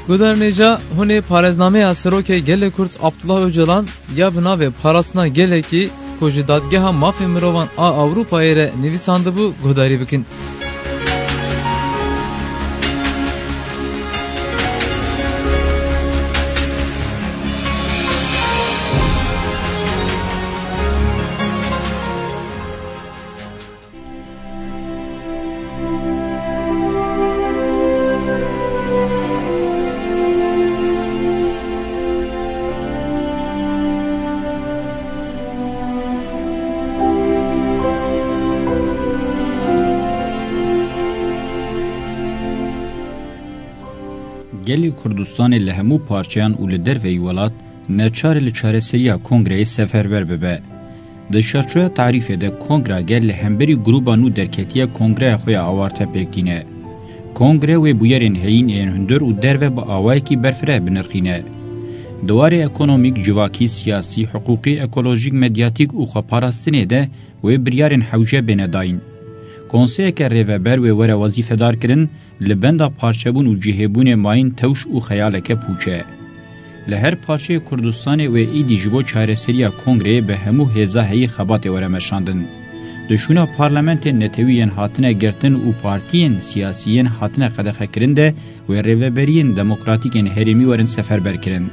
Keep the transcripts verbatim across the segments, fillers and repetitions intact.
Guhdarên hêja, hûn ê parêznameya Serokê Gelê Kurd Abdullah Ocalan ya bi navê Parastina Gelekî ku ji Dadgeha Mafê Mirovan a Ewropayê re nivîsandibû guhdarî bikin. Gelê Kurdistanê li hemû parçeyan û li derveyî welat neçar e li çareseriya kongreyê seferber bibe. Di çarçoya tarîfê de kongra gel li hemberî grûba nû derketiye kongreya xwe ya awarte pêk tîne. Kongre wê bûyerên heyîn ên hundir û derve bi awayekî berfireh binirxîne. Di warê ekonomîk, civakî, siyasî, hiqûqî, ekolojîk, medyatîk û xweparastinê de wê biryarên hewce bêne dayîn. Konseyeke rêveber wê were wezîfedar kirin, li benda parçebûn û cihêbûnê mayîn tewş û xeyaleke pûç e. Li her parçeyê Kurdistanê wê êdî ji bo çareseriya kongreyê bi hemû hêza heyî xebatê were meşandin. Di şûna parlamentên netewî yên hatine girtin û partiyên siyasî yên hatine qedexekirin de wê rêveberiyên demokratîk ên herêmî werin seferber kirin.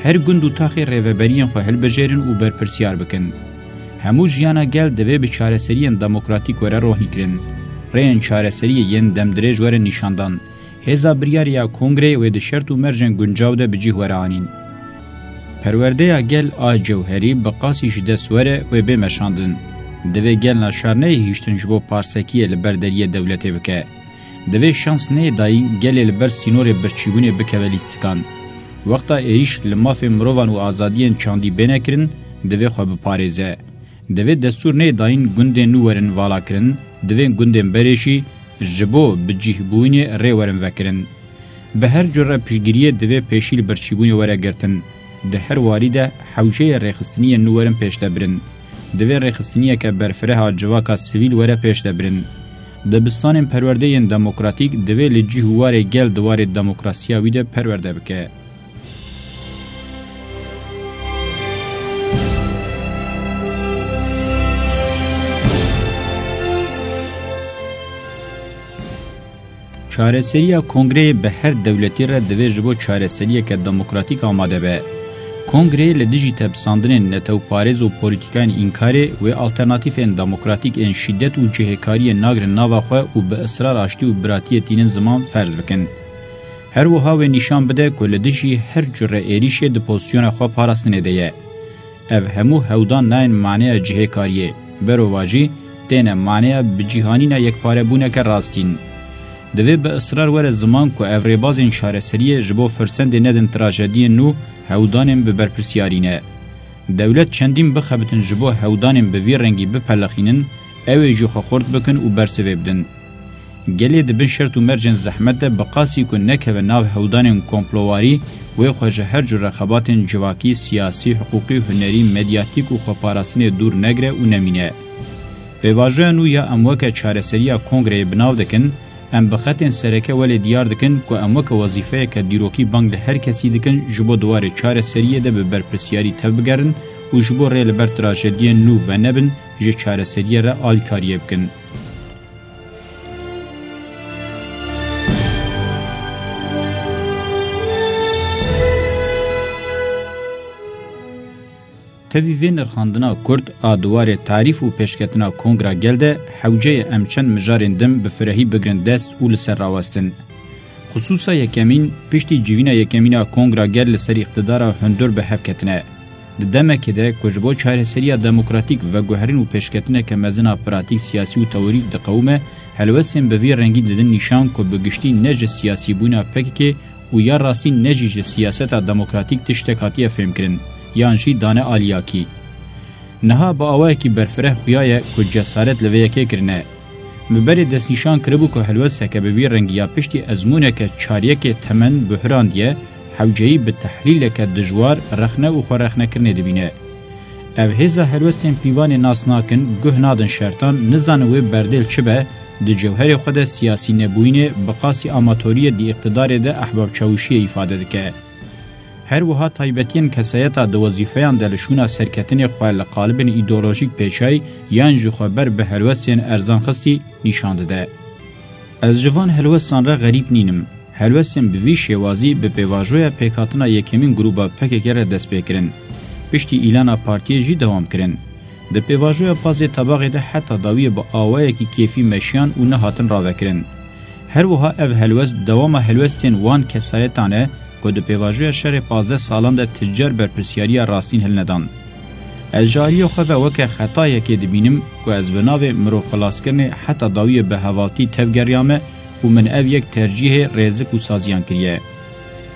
Her gund û taxê rêveberiyên xwe hilbijêrin û berpirsiyar bikin. Hemû jiyana gel divê bi çareseriyên demokratîk were rohnîkirin. Rêyên çareseriyê yên demdirêj werin nîşandan. Hêza biryarê ya kongreyê wê di şert û mercên guncaw de bi cih were anîn. Perwerdeya gel a cewherî bi qasî ji dest were wê bê meşandin. Divê gel naçar neyê hiştin ji bo parsekiyê li ber deriyê dewletê bike. Divê şans neyê dayîn gelê li ber sînorê birçîbûnê bikeve lîstikan. Wexta êrîş li mafê mirovan û azadiyên çandî bêne kirin, divê xwe biparêze. Divê destûr neyê dayîn gundên nû werin valakirin, divê gundên berê jî ji bo bicihbûnê rê werin vekirin. Bi her cure piştgiriyê divê pêşî li birçîbûnê were girtin. Di her warî de hewceyê rêxistiniyên nû werin pêş de birin. Divê rêxistiniyeke berfireh a civaka sivîl were pêş de birin. Dibistanên perwerdeyên demokratîk divê li cih û warê gel di warê demokrasiya wî de perwerde bike. Çareseriya kongreyê bi her dewletî re divê ji bo çareseriyeke demokratîk amade be. Kongreyê li dijî tepsandinên netewparêz û polîtîkayên înkarê wê alternatîfên demokratîk ên şîdet û cihêkariyê nagrin nava xwe û bi israr aştî û biratiyê tînin ziman ferz bikin. Her wiha wê nîşan bide ku li dijî her cure êrîşê di pozîsyona xwe parastinê de ye. Ev hemû hewdan nayên maneya cihêkariyê, berovajî têne maneya bicîhanîna yekparebûneke rastîn. Divê bi israr were ziman ku ev rêbazên çareseriyê ji bo firsendê nedin trajediyên nû hewdanên bi berpirsiyarî ne. Dewlet çendîn bixebitin ji bo hewdanên bi vî rengî bipelixînin, ew ê jî xwe xurt bikin û bersivê bidin. Gelê di bin şert û mercên zehmet de bi qasî ku nekeve nav hewdanên komplowarî, wê xwe ji her cure xebatên civakî, siyasî, hiqûqî, hunerî, medyatîk û xweparastinê dûr negire û nemîne. Pêvajoya nû ya em weke çareseriya kongreyê bi nav dikin, em bi xetên sereke welê diyar dikin ku em weke wezîfeyeke dîrokî bang li her kesî dikin ji bo di warê çareseriyê de bi berpirsiyarî tevbigerin û ji bo rê li ber trajediyên nû venebin, ji çareseriyê re alîkariyê bikin. Tevî vê nirxandina kurt a di warê tarîf û pêşketina Kongra Gel de hewce ye em çend mijarên din bi firehî bigrin dest û li ser rawestin. Xisûsa yekemîn, piştî civîna yekemîn a Kongra Gel li ser îqtidara hundir bi hev ketine. Di demekê de ku ji bo çareseriya demokratîk veguherîn û pêşketineke mezin a pratîk, siyasî û teorîk diqewime, helwestên bi vî rengî didin nîşan ku bi giştî ne ji siyasîbûna P K K û ya rastî ne jî ji siyaseta demokratîk tiştek hatiye fêmkirin, yan jî dane aliyakî. Niha bi awayekî berfireh xuya ye ku cesaret li vê yekê kirine. Bi berê destnîşan kiribû ku helwesteke bi vî rengî ya piştî ezmûneke çar yekê temen buhrandiye, hewceyî bi tehlîleke dijwar, rexne û xwerexnekirinê dibîne. Ev hêza helwestên pîvanê nas nakin, guh nadin şertan, nizanin wê berdê li çi be, Di cewherê xwe de siyasî nebûyînê bi qasî amatoriyê di îqtidarê de ehbab çawişiyê îfade dike. Her wiha taybetiyên kesayeta di wezîfeyan de li şûna serketinê xwe li qalibên îdeolojîk pêçay yan jî xwe ber bi helwestên erzan xistî nîşan dide. Ez ji van helwestan re xerîb nînim. Helwestên bi vî şêwazî bi pêvajoya pêkhatina yekemîn grûba P K K re dest pê kirin. Piştî îlana partiyê jî dewam kirin. Di pêvajoya pazê tebaxê de heta dawiyê bi awayekî kêfî meşiyan û nehatin ravekirin. Her wiha ev helwest dewama helwestên wan kesayetan e ku di pêvajoya şerê pazdeh salan de ti car berpirsiyariya rastîn hilnedan. Ez ji aliyê xwe ve weke xetayekê dibînim ku ez bi navê mirov xilaskirinê heta dawiyê bi hevaltî tevgeriyame û min ev yek tercîhê rêzik û saziyan kiriye.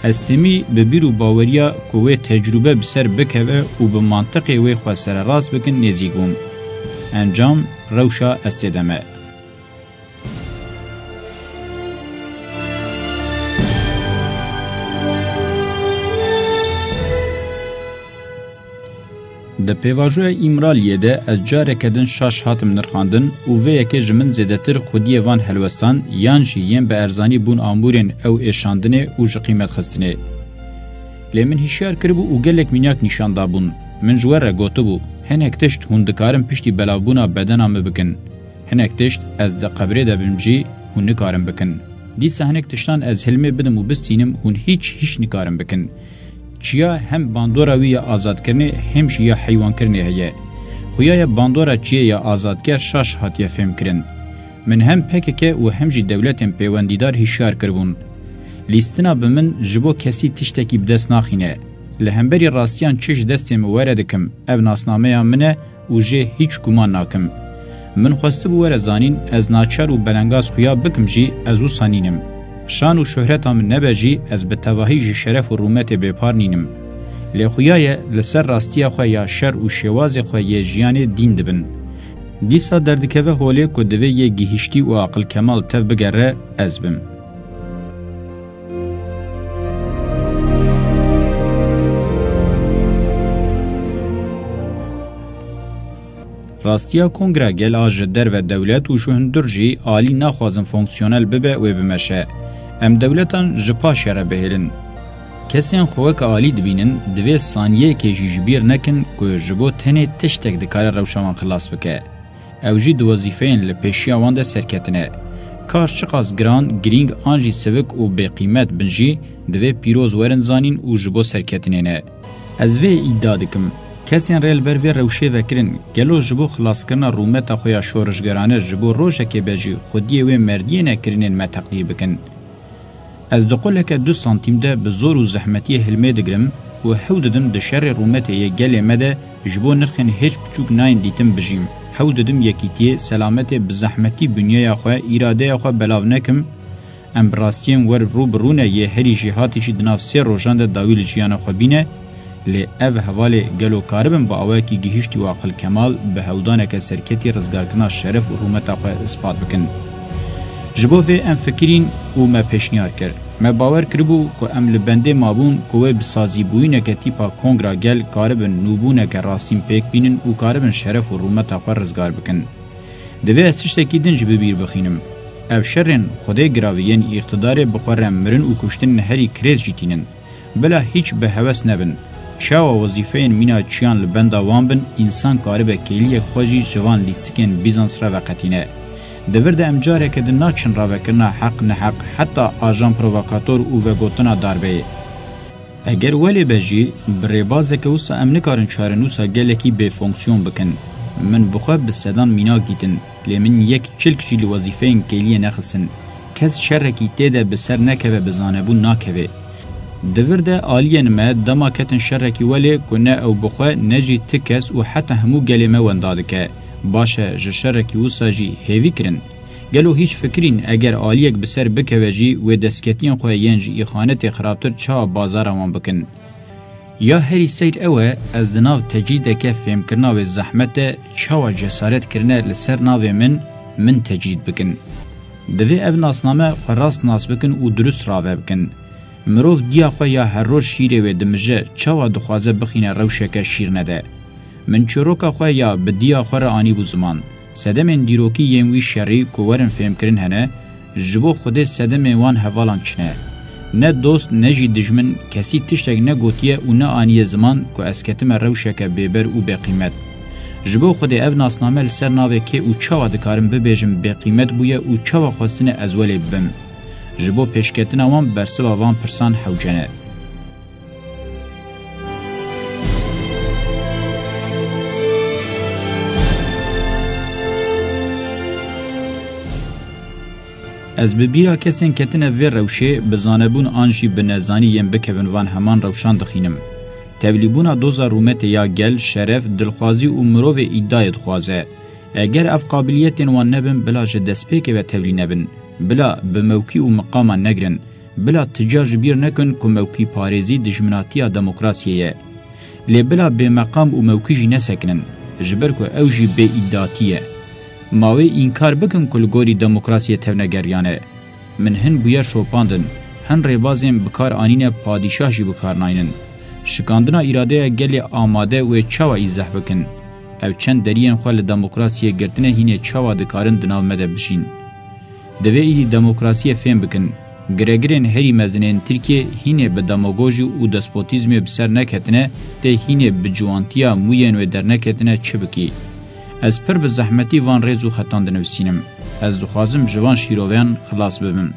Ez temî bi bîr û baweriya ku wê tecrûbe bi ser bikeve û bi mantiqê wê xwe sererast bikin nêzîk bûm. Encam, rewşa ez tê de me. Di pêvajoya Îmraliyê de ez careke din şaş hatim nirxandin û vê yekê ji min zêdetir xwediyê van helwestan yan jî yên bi erzanî bûn amûrên ew êşandinê û ji qîmet xistinê. Lê min hişyar kiribû û gelek mînak nîşan dabûn. Min ji we re gotibû, hinek tişt hûn dikarin piştî belavbûna bedena min bikin. Hinek tişt ez di qebrê de bim jî hûn nikarin bikin. Dîsa hinek tiştan ez hilmê bidim û bistînim, hûn hîç, hîç nikarin bikin. Çiya hem bandora wî ya azadkirinê hem jî ya heywankirinê heye. Xuya ye bandora çiyê ya azadker şaş hatiye fêmkirin. Min hem P K K û hem jî dewletên pêwendîdar hişyar kiribûn. Lîstina bi min ji bo kesî tiştekî bi dest naxîne. Li hemberî rastiyan çi ji destê min were dikim, ev nasnameya min e û jê hîç guman nakim. Min xwestibû were zanîn, ez naçar û belengaz xuya bikim jî, ez wisa nînim. Şan û şohreta min nebe jî, ez bi tevahî ji şeref û rûmetê bêpar nînim. Lê xuya ye, li ser rastiya xwe ya şer û şêwazê xwe yê jiyanê dîn dibin. Dîsa derdikeve holê ku divê yê gihiştî û aqilkemal tev bigere, ez bim. Rastiya kongra gel a ji derve dewlet û ji hundir jî alî naxwazin fonksiyonel bibe wê bimeşe. Em dewletan ji paşê re bihêlin. Kesên xwe weke alî dibînin, divê saniyeyekê jî ji bîr nekin ku ji bo tenê tiştek dikare rewşa wan xilas bike. Ew jî di wezîfeyên li pêşiya wan de serketin e. Kar çiqas giran, girîng an jî sivik û bêqîmet bin jî, divê pîroz werin zanîn û ji bo serketinê ne. Ez vê îdia dikim. Kesên rê li ber vê rewşê vekirin, gelo ji bo xilaskirina rûmeta xwe ya şorişgerane ji bo rojekê be jî xwediyê wê merdiyê ne kirinên me teqdîr bikin? Ez di quleke du santîm de bi zor û zehmetiyê hilmê digirim û hewl didim di şerê rûmetê yê gelê me de ji bo nirxên hêç biçûk nayên dîtin bijîm. Hewl didim yekîtiyê, selametê, bi zehmetî binyeya xwe, îradeya xwe belav nekim. Em bi rastiyên wer rû bi rû ne yê herî jêhatî jî di nav sê rojan de dawî li jiyana xwe bîne. Lê ev hevalê gelo karibin bi awayekî gihîştî û aqilkemal bi hewldaneke serketî rizgarkirina şeref û rûmeta xwe ispat bikin? Ji bo vê em fikirîn û me pêşniyar kir. Me bawer kiribû ku em li bendê mabûn ku wê bi sazîbûyîneke tîpa kongra gel karibin nûbûneke rastîn pêk bînin û karibin şeref û rûmeta xwe rizgar bikin. Divê ez tiştekî din jî bi bîr bixînim. Ev şerên Xwedê giravî yên îqtidarê bi xwe re mirin û kuştin herî kirêt jî tînin. Bila hîç bi hewes nebin. Çawa wezîfeyên mîna çiyan li benda wan bin, însan karibe kêliyek xwe jî ji van lîstikên Bîzans re veqetîne. Di vir de em careke din naçin ravekirina heq neheq, heta ajan provokator û vegotina darbeyê. Eger welê be jî, bi rêbazeke wisa em nikarin çarenûsa gelekî bêfonksiyon bikin. Min bi xwe bi sedan mînak dîtin. Lê min yek çilk jî li wezîfeyên kêliyê nexistin. Kes şerekî tê de bi ser nekeve bi zanebûn nakeve. Di vir de aliyên me dema ketin şerekî welê ku ne ew bi xwe ne jî ti kes û heta hemû gelê me wenda dike. Baş e, ji şerekî wisa jî hêvî kirin. Gelo hîç fikirîn eger aliyek bi ser bikeve jî wê destketiyên xwe yên ji îxanetê xirabtir çawa bazara wan bikin? Ya herî seyr ew e, ez di nav tecrîdeke fêmkirina wê zehmet de çawa cesaret kirine li ser navê min, min tecrîd bikin. Divê ev nasname xwe rast nas bikin û dirust rave bikin. Mirov diya xwe ya her roj şîrê wê dimije, çawa dixwaze bixîne rewşeke şîrne de? Min çîroka xwe ya bi diya xwe re anîbû ziman. Sedemên dîrokî yên wî şerî ku werin fêmkirin hene, ji bo Xwedê sedemên wan hevalan çi ne. Ne dost ne jî dijmin kesî tiştek negotiye û neaniye ziman ku ez ketime rewşeke bêber û bêqîmet. Ji bo Xwedê ev nasname li ser navê kê û çawa dikarim bibêjim bêqîmet bûye û çawa xwestine ez welê bibim. Ji bo pêşketina wan bersiva van pirsan hewce ne. Ez bi bîra kesên ketine vê rewşê, bi zanebûn an jî bi nezanî yên bikevin van heman rewşan dixînim. Tevlîbûna doza rûmetê ya gel, şeref, dilxwazî û mirovê îdayê dixwaze. Eger ev qabiliyetên wan nebin, bila ji destpêkê ve tevlî nebin. Bila bi mewkî û miqaman negirin. Bila ti car ji bîr nekin ku mewkîparêzî dijminatiya demokrasiyê ye. Lê bila bêmeqam û mewkî jî nesekinin, ji ber ku ew jî bêîdatî ye. Ma wê înkar bikin ku li gorî demokrasiyê tevnegeriyan e. Min hin bûyer şopandin, hin rêbazên bi kar anîne padîşah jî bi kar naynin. Şikandina îradeya gelê amade wê çawa îzeh bikin? Ev çend deriyên xwe li demokrasiyê girtine hînê çawa dikarin di nav me de bijîn? Divê êdî demokrasiyê fêm bikin. Giregirên herî mezin ên Tirkiyê hînê bi demagojî û despotîzmê bi ser neketine, tê hînê bi ciwantiya mûyên wê derneketine çi bikî? Ez pir bi zehmetî van rêz û xetan dinivîsînim. Ez dixwazim ji van şîroveyan xilas bibim.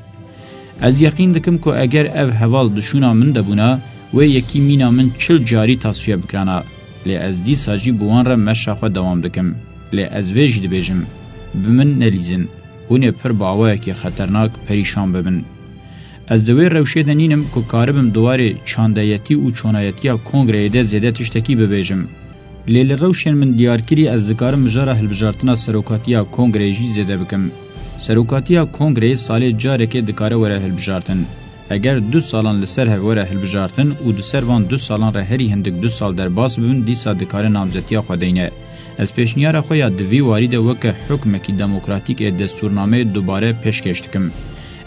Ez yeqîn dikim ku eger ev heval di şûna min de bûna, wê yekî mîna min çil carî tasfiye bikirana. Lê ez dîsa jî bi wan re meşa xwe dewam dikim. Lê ez vê jî dibêjim, bi min nelîzin. Hûn ê pir bi awayekî xeternak perîşan bibin. Ez di wê rewşê de nînim ku karibim di warê çandeyetî û çonayetiya kongreyê de zêde tiştekî bibêjim. Lê li rewşên min diyarkirî ez dikarim mijara hilbijartina serokatiya kongreyê jî zêde bikim. Serokatiya kongreyê salê carekê dikare were hilbijartin. Eger du salan li ser hev were hilbijartin û di ser van du salan re herî hindik du sal derbas bibin, dîsa dikare namzetiya xwe deyne. Ez pêşniyara xwe ya di vî warî de weke hukmekî demokratîk ê destûrnameyê dubare pêşkêş dikim.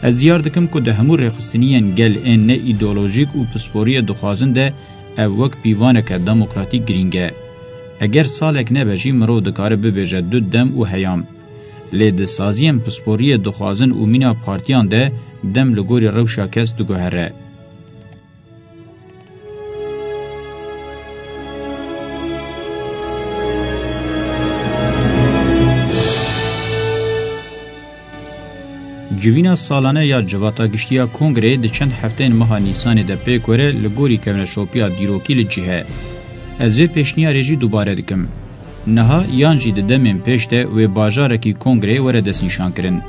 Ez diyar dikim ku di hemû rêxistiniyên gel ên ne îdeolojîk û pisporiyê dixwazin de ev wek pîvaneke demokratîk girîng e. Eger salek nebe jî mirov dikare bibêje du dem û heyam. Lê di saziyên pisporiyê dixwazin û mîna partiyan de dem li gorî rewşa kes diguhere. Civîna salane ya Civata Giştî ya Kongreyê di çend hefteyên meha Nîsanê de pêk were li gorî kevneşopiya dîrokî li cih e. Ez vê pêşniyarê jî dubare dikim. Niha yan jî di demên pêş de wê bajarekî kongreyê were destnîşankirin.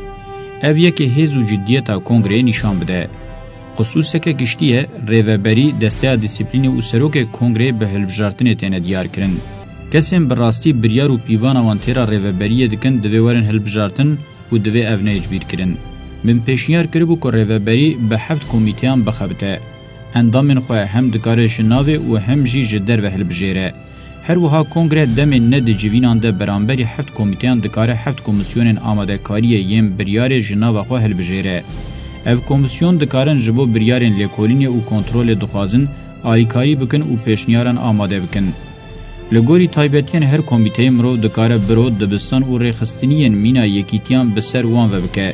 Ev yekê hêz û ciddiyeta kongreyê nîşan bide. Xisûseke giştî ye, rêveberî, desteya dîsîplînê û serokê kongreyê bi hilbijartinê têne diyarkirin. Kesên bi rastî biryar û pîvana wan têra rêveberiyê dikin divê werin hilbijartin û divê ev neyê cibîrkirin. Min pêşniyar kiribû ku rêveberî bi heft komîteyan bixebite. Endamên xwe hem dikare ji navê û hem jî ji derve hilbijêre. Her wiha kongre demên ne di civînan de beramberî heft komîteyan dikare heft komîsyonên amadekariyê yên biryarê ji nava xwe hilbijêre. Ev komîsyon dikarin ji bo biryarên lêkolînê û kontrolê dixwazin alîkarî bikin û pêşniyaran amade bikin. Li gorî taybetiyên her komîteyê mirov dikare biro, dibistan û rêxistiniyên mîna yekîtiyan bi ser wan ve bike.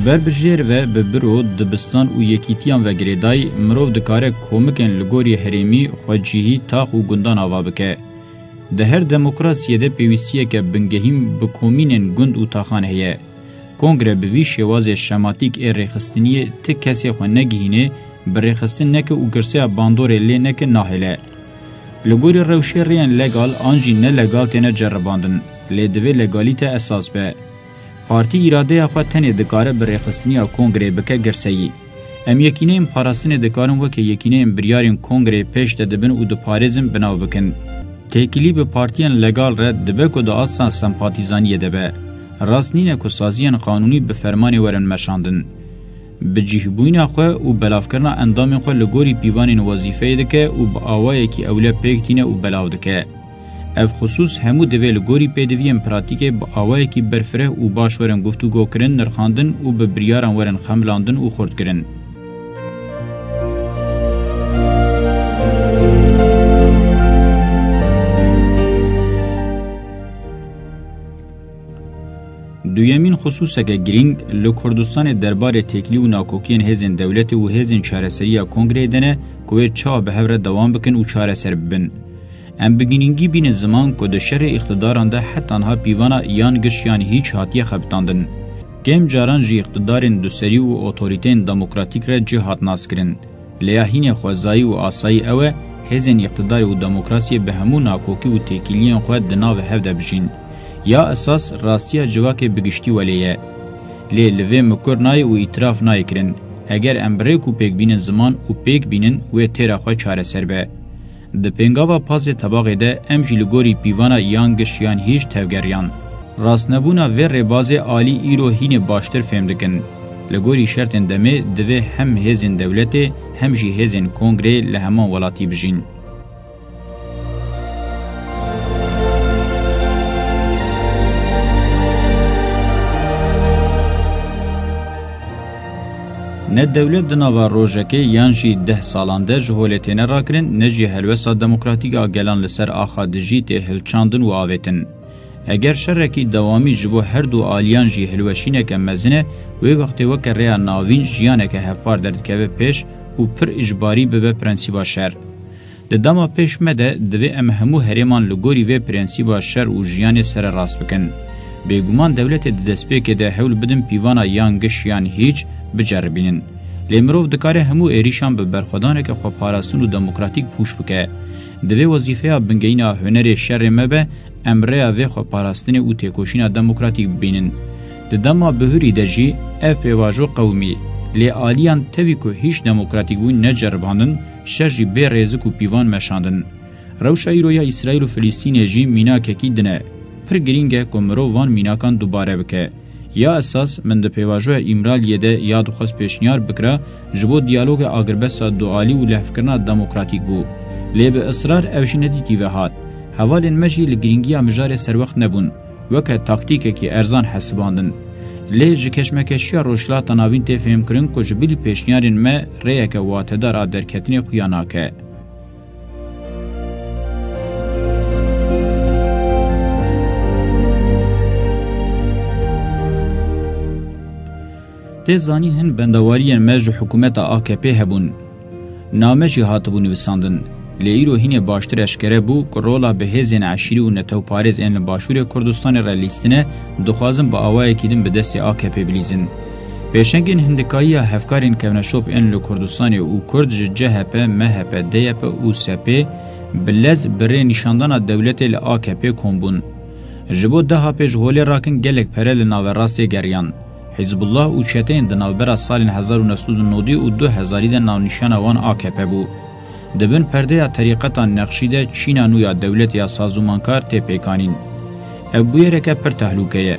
Ber bi jêr ve bi biro, dibistan û yekîtiyan ve girêdayî, mirov dikare komikên li gorî herêmî, xwecihî, tax û gundan ava bike. Di her demokrasiyê de pêwîstiyeke bingehîn bi komînên gund û taxan heye. Kongre bi vî şêwazê şematîk ê rêxistiniyê ti kesê xwe negihînê, bi rêxistin neke û girseya bandorê lê neke nahêle. Li gorî rewşê rêyên legal an jî nelegal têne ceribandin, lê divê legalîte esas be. Partî îradeya xwe tenê dikare bi rêxistiniya kongreyê bike girseyî. Em yekîneyên parastinê dikarin weke yekîneyên biryarên kongreyê pêş de dibin û diparêzin bi nav bikin. Têkilî bi partiyên legal re dibe ku di asta sempatîzaniyê de be. Rast nîne ku saziyên qanûnî bi fermanê werin meşandin. Bi cihbûyîna xwe û belavkirina endamên xwe li gorî pîvanên wezîfeyê dike û bi awayekî ewle pêk tîne û belav dike. Ev xisûs hemû divê li gorî pêdiviyên pratîkê bi awayekî berfireh û baş werin guftûgokirin, nirxandin û bi biryaran werin xemilandin û xurtkirin. Duyemîn xisûseke girîng li Kurdistanê derbarê têkilî û nakokiyên hêzên dewletê û hêzên çareseriya kongreyê de ne ku wê çawa bi hev re dewam bikin û çareser bibin. Em bi girîngî bînin ziman ku di şerê îqtidaran de heta niha pîvana yan giş yan hîç hatiye xebitandin. Kêm caran jî îqtidarên duserî û otorîteyên demokratîk re cih hat naskirin. Lê ya hînê xwezayî û asayî ew e, hêzên îqtidarê û demokrasiyê bi hemû nakokî û têkiliyên xwe di nav hev de bijîn. Ya esas rastiya civakê bi giştî welê ye. Lê li vê mikur nayê û îtiraf nayê kirin. Eger em bi rêk û pêk bînin ziman û pêk bînin, wê têra xwe çareser be. Di pêngava pazê tebaxê de em jî li gorî pîvana yan giş yan hîç tevgeriyan. Rastnebûna vê rêbazê alî îro hînê baştir fêm dikin. Li gorî şertên demê divê hem hêzên dewletê hem jî hêzên kongreyê li heman welatî bijîn. Ne dewlet di nava rojekê yan jî deh salan de ji holê têne rakirin, ne jî helwesta demokratîk a gelan li ser axa dijî tê hilçandin û avêtin. Eger şerekî dewamî ji bo her du aliyan jî hilweşîneke mezin e, wê wextê weke rêya navîn jiyaneke hevpar derdikeve pêş û pir ijbarî bibe prensîba şer. Di dema pêş me de divê em hemû herêman li gorî vê prensîba şer û jiyanê sererast bikin. Bêguman dewletê di destpêkê de hewl bidin pîvana yan giş yan hîç biceribînin. Lê mirov dikare hemû êrîşan bi berxwedaneke xweparastin û demokratîk pûç bike. Divê wezîfeya bingehîna hunerê şerê me be, em rêya vê xweparastinê û têkoşîna demokratîk bibînin. Di dema bihurî de jî ev pêvajo qewimî, lê aliyan tevî ku hîç demokratîk bûn neceribandin, şer jî bê rêzik û pîvan meşandin. Rewşa îro ya Îsraîl û Filistînê jî mînakekî din e. Pir girîng e ku mirov van mînakan dubare bike. Ya esas, min di pêvajoya Îmraliyê de ya dixwest pêşniyar bikira, ji bo diyaloga agirbesta dualî û lehvkirina demokratîk bû. Lê bi israr ev jî nedîtî ve hat. Hevalên me jî li girîngiya mijarê serwext nebûn. Weke taktîkekî erzan hesibandin. Lê ji keşmekeşiya Rojhilata Navîn tê fêhmkirin ku ji bilî pêşniyarên me rêyeke watedar a derketinê xuya nake. Tê zanîn hin bendewariyên me ji hikûmeta A K P hebûn. Name jî hatibû nivîsandin. Lê îro hînê baştir eşkere bû ku rola bi hêzên eşîrî û netewparêz ên li Başûrê Kurdistanê re lîstine, dixwazin bi awayekî din bi destê A K P bilîzin. Pêşengên hindikayî ya hevkarên kevneşop ên li Kurdistanê û Kurd ji C H P, M H P, D Y P û S P bi lez bi rê nîşandana dewletê li A K P kom bûn. Ji bo deha pê ji holê rakin gelek pere li naverastê geriyan. Hizbullah û çeteyên di navbera salên hezar û neh sed û nodî û du hezarî de navnîşana wan A K P bû. Di bin perdeya terîqeta Neqşî de çîna nû ya dewletê ya sazûmankar tê pêkanîn. Ev bûyereke pir tehlûke ye.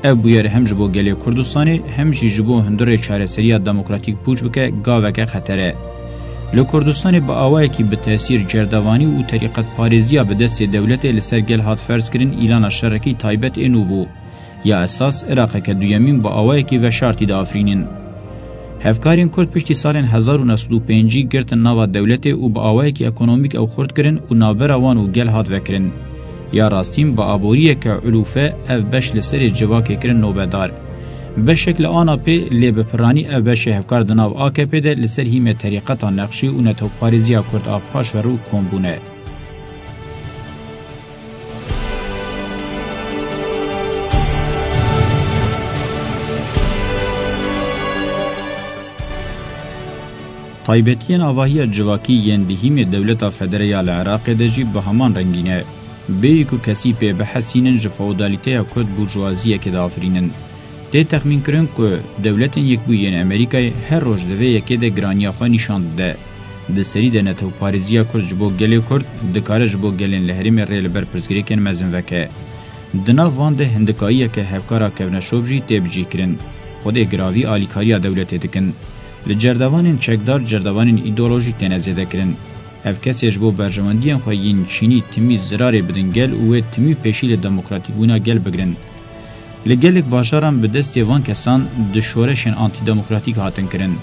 Ev bûyer hem ji bo gelê Kurdistanê, hem jî ji bo hundirê çareseriya demokratîk pûç bike, gaveke xeter e. Li Kurdistanê bi awayekî bi tesîr cerdevanî û terîqetparêziya bi destê dewletê li ser gel hat ferzkirin, îlana şerekî taybet ê nû bû. Ya esas, Iraqeke duyemîn bi awayekî veşartî diafirînin. Hevkarên Kurd piştî salên hezar û neh sed û pêncî girtin nava dewletê û bi awayekî ekonomîk ew xurt kirin û navbera wan û gel hat vekirin. Ya rastîn bi aboriyeke ulûfe ev beş li serê civakê kirin nobedar. Beşek li A N P, lê bi piranî ev beşê hevkar di nav A K P de li ser hîmê terîqeta Neqşî û netewparêziya Kurd a paşverû kom bûne. Taybetiyên avahiya civakî yên di hîmê dewleta federe ya li Iraqê de jî bi heman rengî ne. Bêyî ku kesî pê bihesînin, ji feodalîteya Kurd burjuaziyekê diafirînin. Tê texmînkirin ku Dewletên Yekbûyî yên Amerîkayê her roj di vê yekê de giraniya xwe nîşan dide. Di serî de netewparêziya Kurd ji bo gelê Kurd dikare ji bo gelên li herêmê rê li ber pirsgirêkên mezin veke. Di nav van de hindikayiyeke hevkara kevneşop jî tê bicihkirin. Xwedê giravî alîkariya dewletê dikin. Li cerdevanên çekdar cerdevanên îdeolojîk têne zêdekirin. Ev kesê ji bo berjewendiyên xwe yên çînî timî zirarê bidin gel û wê timî pêşî li demokratîkbûna gel bigirin. Li gelek bajaran bi destê van kesan di şoreşên antîdemokratîk hatin kirin.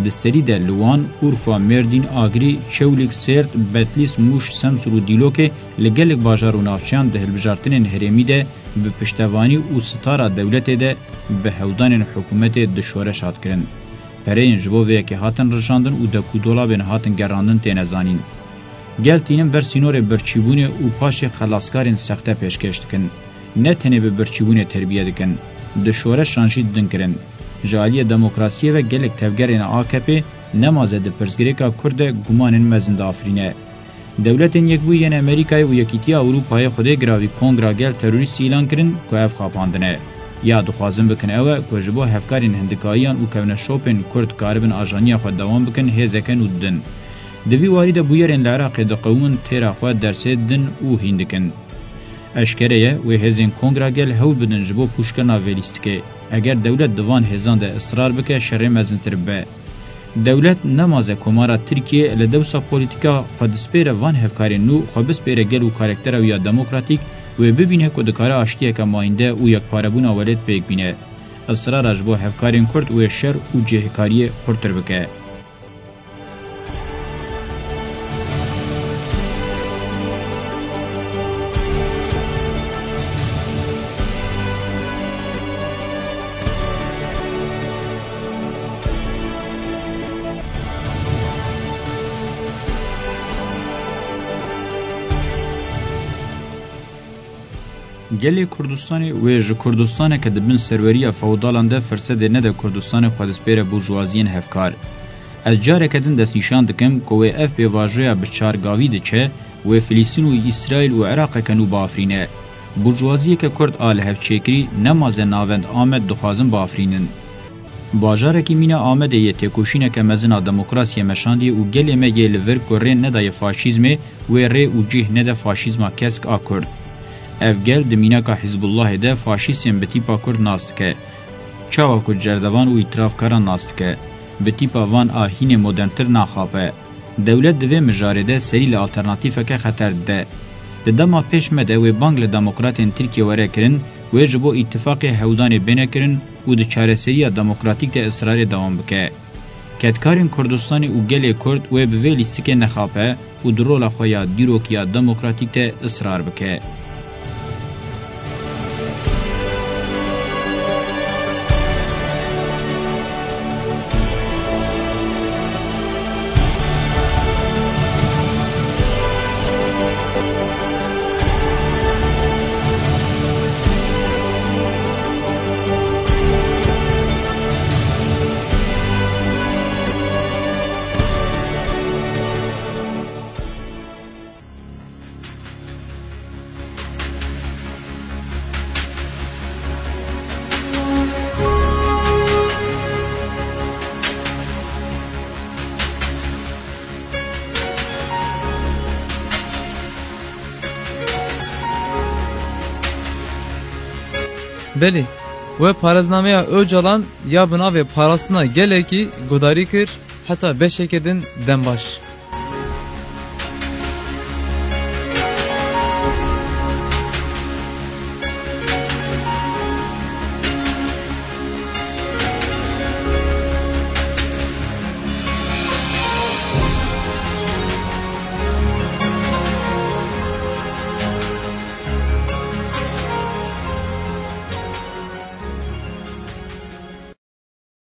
Di serî de li Wan, Urfa, Mêrdîn, Agrî, Çewlîg, Sêrt, Betlîs, Mûş, Semsûr û Dîlokê li gelek bajar û navçeyan di hilbijartinên herêmî de bi piştevanî û sitara dewletê de bi hewdanên hikûmetê di şoreş hat kirin. Pereyên ji bo vê yekê hatin rijandin û dekûdolabên hatin gerandin têne zanîn. Gel tînin ber sînorê birçîbûnê û paşê xelaskarên sexte pêşkêş dikin. Ne tenê bi birçîbûnê terbiye dikin, di şoreşan jî din kirin. Ji aliyê demokrasiyê ve gelek tevgerên A K P nemaze di pirsgirêka Kurd de gumanên mezin diafirîne. Dewletên Yekbûyî yên Amerîkayê û Yekîtiya Ewropayê xwedê giravî Kongra Gel terorîst îlan kirin ku ev xapandin e. Ya dixwazin bikin ew e ku ji bo hevkarên hindikayiyan û kevneşopên Kurd karibin ajaniya xwe dewam bikin, hêzeke nû didin. Di vî warî de bûyerên li Iraqê diqewimin têra xwe dersê din û hîn dikin. Eşkere ye, wê hêzên Kongra Gel hewl bidin ji bo pûçkirina vê lîstikê. Eger dewlet di van hêzan de israr bike, şerê mezintir bibe. Dewlet nemaze Komara Tirkiye li dewsa polîtîka xwe dispêre van hevkarên nû, xwe bispêre gel û karaktera wî ya demokratîk, wê bibîne ku dikare aştiyeke mayînde û yekparebûna welêt pêk bîne. Israra ji bo hevkarên Kurd wê şer û cihêkariyê xurtir bike. Gelê Kurdistanê wê ji Kurdistaneke di bin serweriya fewdalan de firsedê nede Kurdistanê xwe dispêre burjuwaziyên hevkar. Ez careke din destnîşan dikim ku wê ev pêvajoya bi çargavî diçe, wê Filîstîn û Îsraîl û Iraqeke nû biafirîne. Burjuwaziyeke Kurd a lihevçêkirî nemaze navend Amed dixwazin biafirînin. Bajarekî mîna Amedê yê têkoşîneke mezin a demokrasiyê meşandiye û gelê me yê li vir ku rê nedaye faşîzmê, wê rê û cih nede faşîzma kesk a Kurd. Ev gel di mînaka Hizbullahê de faşîstên bi tîpa Kurd nas dike. Çawa ku cerdevan û îtirafkaran nas dike, bi tîpa van a hînê moderntir naxape. Dewlet di vê mijarê de serî li alternatîfeke xeter dide. Di dema pêş me de wê bang li demokratên Tirkiye were kirin, wê ji bo îtifaqê hewdanê bêne kirin û di çareseriya demokratîk de israrê dewam bike. Kedkarên Kurdistanê û gelê Kurd wê bi vê lîstikê nexape û di rola xwe ya dîrokiya demokratîk de israr bike. Belê, we parêznameya Ocalan ya bi navê Parastina Gelekî gudarî kir, heta beşeke din dem baş.